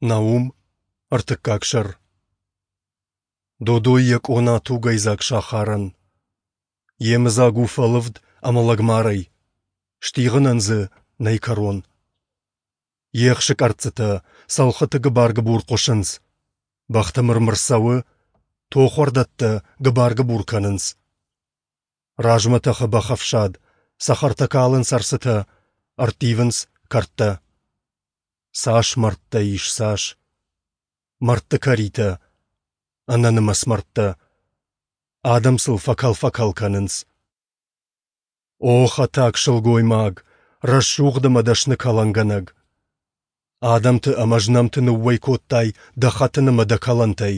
Наум, ӕртыккаг сӕр. Додой йӕ къона тугӕйдзаг сахарӕн. Йемыдзаг у фӕлывд ӕмӕ лӕгмарӕй, стигъынӕн дзы нӕй кӕрон. Ехсы къӕрццытӕ, цӕлхыты гыбар-гыбур хъуысынц, бӕхты мыр-мыр цӕуы, тохуӕрдӕттӕ гыбар-гыбур кӕнынц. Размӕ тӕхы бӕхӕфсад, цӕхӕртӕ калынц ӕрцытӕ, ӕрттивынц кӕрдтӕ. Цас мӕрдтӕ ис, цас! Мӕрдты кӕритӕ, ӕнӕнымӕц мӕрдтӕ. Адӕм сыл фӕкӕл-фӕкӕл кӕнынц. О, хӕтаг сылгоймаг, рӕсугъд ӕмӕ дӕсны кӕлӕнгӕнӕг! Адӕмты ӕмӕ знӕмты ныууӕй кодтай дӕ хӕтын ӕмӕ дӕ кӕлӕнтӕй.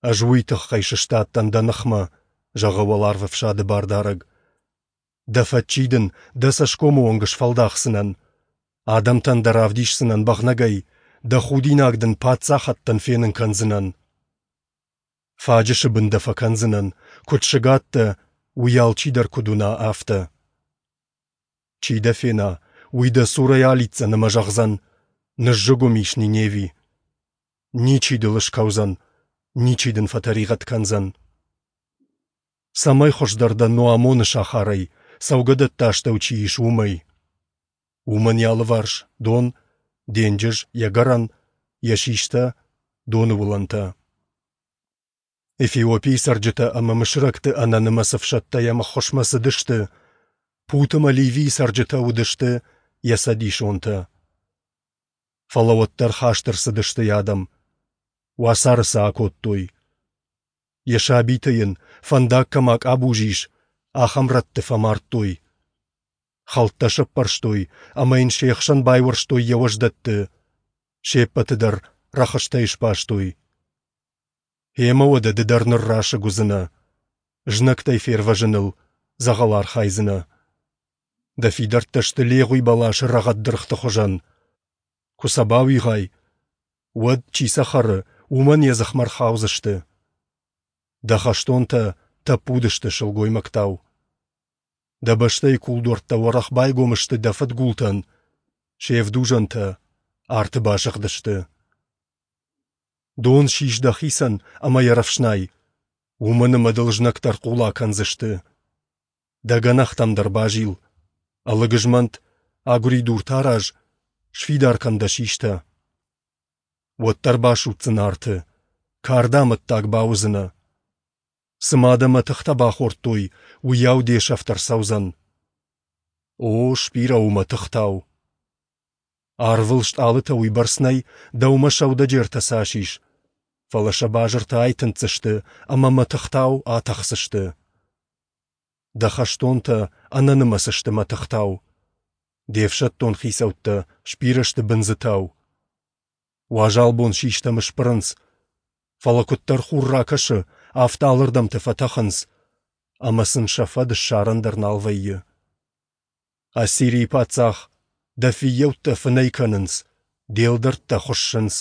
Ӕз уый тыххӕй сыстадтӕн дӕ ныхмӕ, зӕгъы уӕларвӕфсады Бардарӕг. Дӕ фӕччи дын дӕ цӕсгомы онг сфӕлдахдзынӕн, адӕмтӕн дӕ равдисдзынӕн бӕгънӕгӕй, дӕ худинаг дын паддзахӕдтӕн фенын кӕндзынӕн. Фаджысы бын дӕ фӕкӕндзынӕн, куыд сыгад дӕ, уый алчидӕр куыд уына, афтӕ. Чи дӕ фена, уый дӕ цурӕй алидздзӕн ӕмӕ зӕгъдзӕн: Ныззыгуым ис Ниневи. Ничи дыл скӕудзӕн, ничи дын фӕтӕригъӕд кӕндзӕн. Цӕмӕй хуыздӕр дӕ Ноамоны сахарӕй, цӕугӕдӕтты астӕу чи ис, уымӕй? Уымӕн йӕ алыварс дон, денджыз, йӕ гӕрӕн, йӕ систӕ, доны уылӕнтӕ. Эфиопийы цӕрджытӕ ӕмӕ мысырӕгты ӕнӕнымӕц ӕфсӕдтӕ йӕм ӕххуысмӕ цыдысты, Пут ӕмӕ Ливийы цӕрджытӕ уыдысты йӕ цӕдисонтӕ. Фӕлӕ уӕддӕр хаст ӕрцыдысты йӕ адӕм, уацары сӕ акодтой. Йӕ сабиты йын, фӕндаг кӕм акъабуз ис, ахӕм рӕтты фӕмардтой. Хӕлттӕ сӕппӕрстой ӕмӕ йын се хсӕн байуӕрстой йӕ уӕздӕтты, се ппӕты дӕр рӕхыстӕй сбастой. Гъемӕ уӕдӕ ды дӕр ныррасыг уыдзынӕ, знӕгтӕй фервӕзыныл дзӕгъӕл архайдзынӕ. Дӕ фидӕрттӕ сты легъуи бӕласы рӕгъӕд дыргъты хуызӕн. Куы сӕ бауигъай, уӕд, чи сӕ хӕры, уымӕн йӕ дзыхмӕ рхаудзысты. Дӕ хӕстонтӕ тӕппуд сты сылгоймӕгтау. Дӕ бӕстӕйы кулдуӕрттӕ уӕрӕх байгом сты дӕ фыдгултӕн, се вдузӕнтӕ арты басыгъдысты. Дон сис дӕхицӕн ӕмӕ йӕ рӕфснай, уымӕн ӕмӕ дыл знӕгтӕ ӕрхъула кӕндзысты. Дӕ гӕнӕхтӕм дӕр базил, ӕлыг змӕнт, агуыридуртӕ араз, сфидар кӕн дӕ систӕ. Уӕддӕр басудздзынӕ арты, карды амӕттаг бауыдзынӕ. Цыма дӕ мӕтыхтӕ бахордтой, уыйау де сӕфт ӕрцӕудзӕн. О, сбирӕ у мӕтыхтау. Арвыл стъалытӕ уыйбӕрц нӕй, дӕумӕ сӕудӕджертӕ цас ис, фӕлӕ сӕ базыртӕ айтындздзысты ӕмӕ мӕтыхтау атӕхдзысты. Дӕ хӕстонтӕ ӕнӕнымӕц сты мӕтыхтау. Де фсӕддон хицӕуттӕ сбирӕ сты бындзытау. Уазал бон систӕм сбырынц, фӕлӕ куыддӕр хур ракӕсы, афтӕ алырдӕмты фӕтӕхынц, ӕмӕ сын сӕ фӕд ссарӕн дӕр нал вӕййы. Ассирийы паддзах, дӕ фыййӕуттӕ фынӕй кӕнынц, де лдӕрттӕ хуыссынц.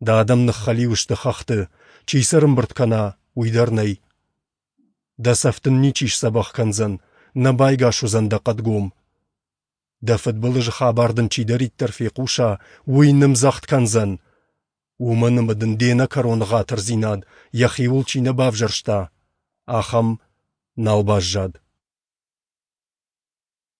Дӕ адӕм ныххӕлиу сты хӕхты, чи сӕ рымбырд кӕна, уый дӕр нӕй. Дӕ цӕф дын ничи сдзӕбӕх кӕндзӕн, нӕ байгас уыдзӕн дӕ хъӕдгом. Дӕ фыдбылызы хабар дын чидӕриддӕр фехъуса, уый нымдзӕгъд кӕндзӕн. Уымӕн ӕмӕ дын де нӕкӕрон ӕгъатырдзинад йӕхиуыл чи нӕ бавзӕрста, ахӕм нал баззад.